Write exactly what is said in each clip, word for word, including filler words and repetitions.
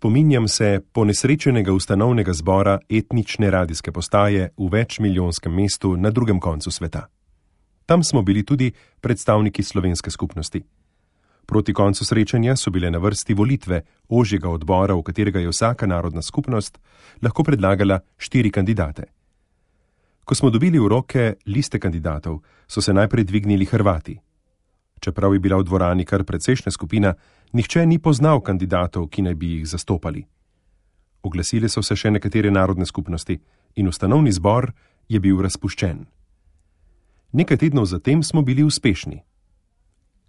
Spominjam se ponesrečenega ustanovnega zbora etnične radijske postaje v večmilijonskem mestu na drugem koncu sveta. Tam smo bili tudi predstavniki slovenske skupnosti. Proti koncu srečanja so bile na vrsti volitve ožjega odbora, v katerega je vsaka narodna skupnost lahko predlagala štiri kandidate. Ko smo dobili v roke liste kandidatov, so se najprej dvignili Hrvati. Čeprav je bila v dvorani kar precejšnja skupina, nihče ni poznal kandidatov, ki naj bi jih zastopali. Oglasile so se še nekatere narodne skupnosti in ustanovni zbor je bil razpuščen. Nekaj tednov zatem smo bili uspešni.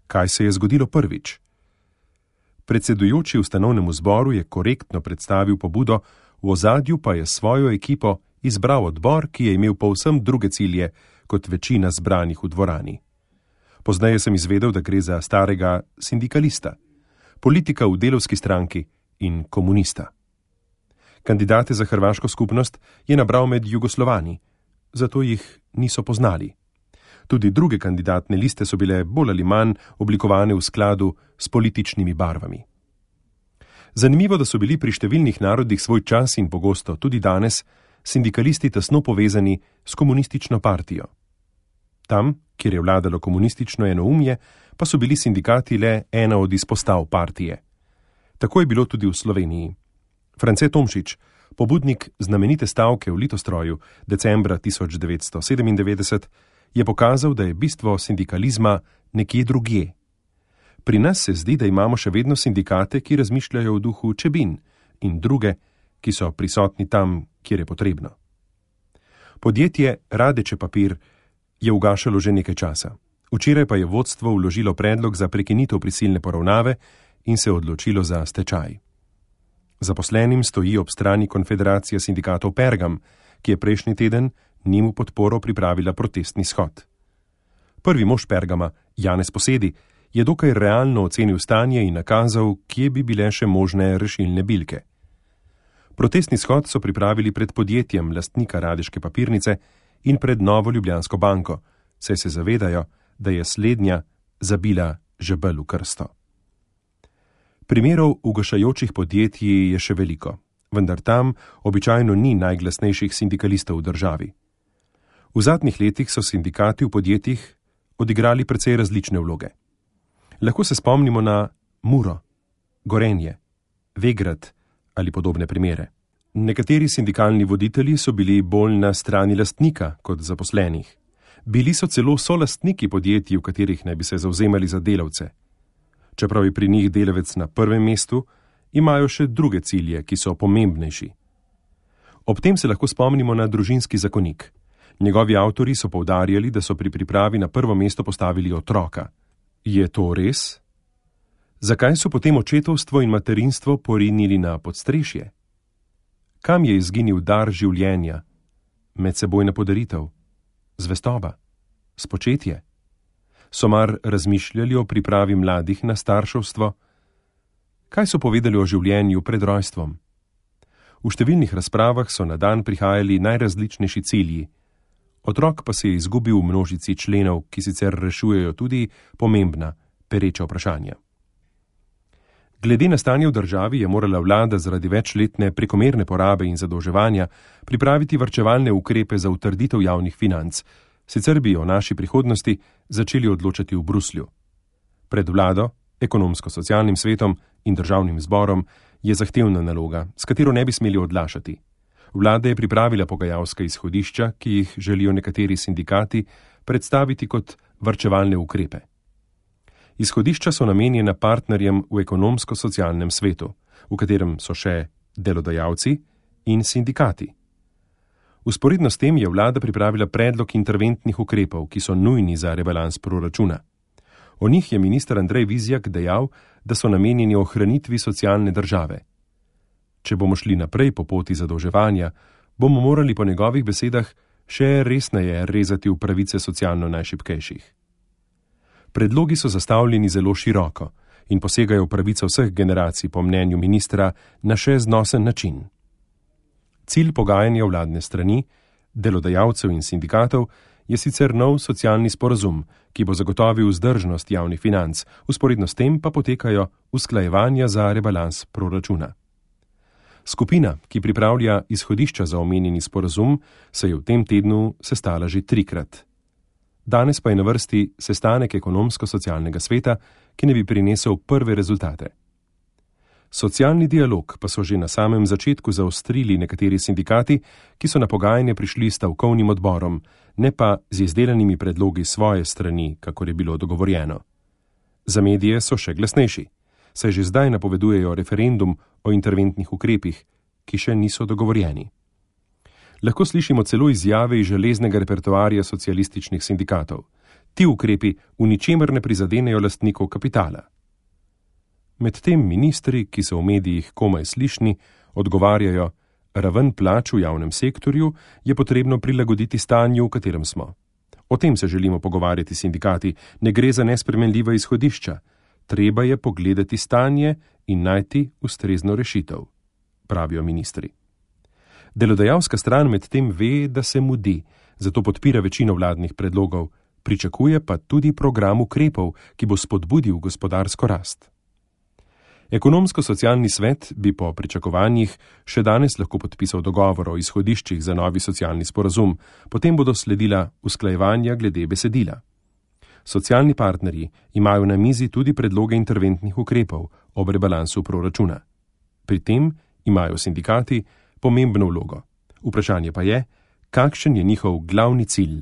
Kaj se je zgodilo prvič? Predsedujoči ustanovnemu zboru je korektno predstavil pobudo, v ozadju pa je svojo ekipo izbral odbor, ki je imel povsem druge cilje kot večina zbranih v dvorani. Poznaje sem izvedel, da gre za starega sindikalista, politika v delavski stranki in komunista. Kandidate za hrvaško skupnost je nabral med Jugoslovani, zato jih niso poznali. Tudi druge kandidatne liste so bile bolj ali manj oblikovane v skladu s političnimi barvami. Zanimivo, da so bili pri številnih narodih svoj čas in pogosto tudi danes sindikalisti tesno povezani s komunistično partijo. Tam, kjer je vladalo komunistično enoumje, pa so bili sindikati le ena od izpostav partije. Tako je bilo tudi v Sloveniji. France Tomšič, pobudnik znamenite stavke v Litostroju decembra tisoč devetsto sedemindevetdeset, je pokazal, da je bistvo sindikalizma nekje drugje. Pri nas se zdi, da imamo še vedno sindikate, ki razmišljajo v duhu Čebin, in druge, ki so prisotni tam, kjer je potrebno. Podjetje Radeče papir je ugašalo že nekaj časa. Včeraj pa je vodstvo vložilo predlog za prekinitev prisilne poravnave in se odločilo za stečaj. Zaposlenim stoji ob strani Konfederacija sindikatov Pergam, ki je prejšnji teden njim v podporo pripravila protestni shod. Prvi mož Pergama, Janez Posedi, je dokaj realno ocenil stanje in nakazal, kje bi bile še možne rešilne bilke. Protestni shod so pripravili pred podjetjem lastnika Radeške papirnice in pred Novo Ljubljansko banko, saj se zavedajo, da je slednja zabila žebelj v krsto. Primerov ugašajočih podjetij je še veliko, vendar tam običajno ni najglasnejših sindikalistov v državi. V zadnjih letih so sindikati v podjetjih odigrali precej različne vloge. Lahko se spomnimo na Muro, Gorenje, Vegrad ali podobne primere. Nekateri sindikalni voditelji so bili bolj na strani lastnika kot zaposlenih. Bili so celo solastniki podjetij, v katerih naj bi se zavzemali za delavce. Čeprav je pri njih delavec na prvem mestu, imajo še druge cilje, ki so pomembnejši. Ob tem se lahko spomnimo na družinski zakonik. Njegovi avtori so poudarjali, da so pri pripravi na prvo mesto postavili otroka. Je to res? Zakaj so potem očetovstvo in materinstvo porinili na podstrešje? Kam je izginil dar življenja, medsebojna podaritev, zvestoba, spočetje? So mar razmišljali o pripravi mladih na starševstvo? Kaj so povedali o življenju pred rojstvom? V številnih razpravah so na dan prihajali najrazličnejši cilji. Otrok pa se je izgubil v množici členov, ki sicer rešujejo tudi pomembna, pereča vprašanja. Glede na stanje v državi je morala vlada zaradi večletne prekomerne porabe in zadolževanja pripraviti varčevalne ukrepe za utrditev javnih financ, sicer bi o naši prihodnosti začeli odločati v Bruslju. Pred vlado, ekonomsko-socialnim svetom in državnim zborom je zahtevna naloga, s katero ne bi smeli odlašati. Vlada je pripravila pogajalska izhodišča, ki jih želijo nekateri sindikati predstaviti kot varčevalne ukrepe. Izhodišča so namenjena partnerjem v ekonomsko-socialnem svetu, v katerem so še delodajalci in sindikati. Vzporedno s tem je vlada pripravila predlog interventnih ukrepov, ki so nujni za rebalans proračuna. O njih je minister Andrej Vizjak dejal, da so namenjeni ohranitvi socialne države. Če bomo šli naprej po poti zadolževanja, bomo morali po njegovih besedah še resneje rezati v pravice socialno najšibkejših. Predlogi so zastavljeni zelo široko in posegajo v pravico vseh generacij po mnenju ministra na še znosen način. Cilj pogajanja vladne strani, delodajalcev in sindikatov je sicer nov socialni sporazum, ki bo zagotovil vzdržnost javnih financ, vzporedno s tem pa potekajo usklajevanja za rebalans proračuna. Skupina, ki pripravlja izhodišča za omenjeni sporazum, se je v tem tednu sestala že trikrat. Danes pa je na vrsti sestanek ekonomsko-socialnega sveta, ki ne bi prinesel prve rezultate. Socialni dialog pa so že na samem začetku zaostrili nekateri sindikati, ki so na pogajanje prišli s stavkovnim odborom, ne pa z izdelanimi predlogi svoje strani, kakor je bilo dogovorjeno. Za medije so še glasnejši, saj že zdaj napovedujejo referendum o interventnih ukrepih, ki še niso dogovorjeni. Lahko slišimo celo izjave iz železnega repertoarja socialističnih sindikatov. Ti ukrepi v ničemer ne prizadenejo lastnikov kapitala. Medtem ministri, ki so v medijih komaj slišni, odgovarjajo, raven plač v javnem sektorju je potrebno prilagoditi stanju, v katerem smo. O tem se želimo pogovarjati sindikati, ne gre za nespremenljiva izhodišča. Treba je pogledati stanje in najti ustrezno rešitev, pravijo ministri. Delodajalska stran medtem ve, da se mudi, zato podpira večino vladnih predlogov, pričakuje pa tudi program ukrepov, ki bo spodbudil gospodarsko rast. Ekonomsko-socialni svet bi po pričakovanjih še danes lahko podpisal dogovor o izhodiščih za novi socialni sporazum, potem bodo sledila usklajevanja glede besedila. Socialni partnerji imajo na mizi tudi predloge interventnih ukrepov ob rebalansu proračuna. Pri tem imajo sindikati pomembno vlogo. Vprašanje pa je, kakšen je njihov glavni cilj,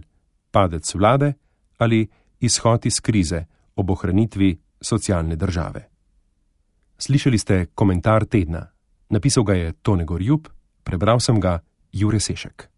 padec vlade ali izhod iz krize ob ohranitvi socialne države. Slišali ste komentar tedna. Napisal ga je Tone Gorjup, prebral sem ga Jure Sešek.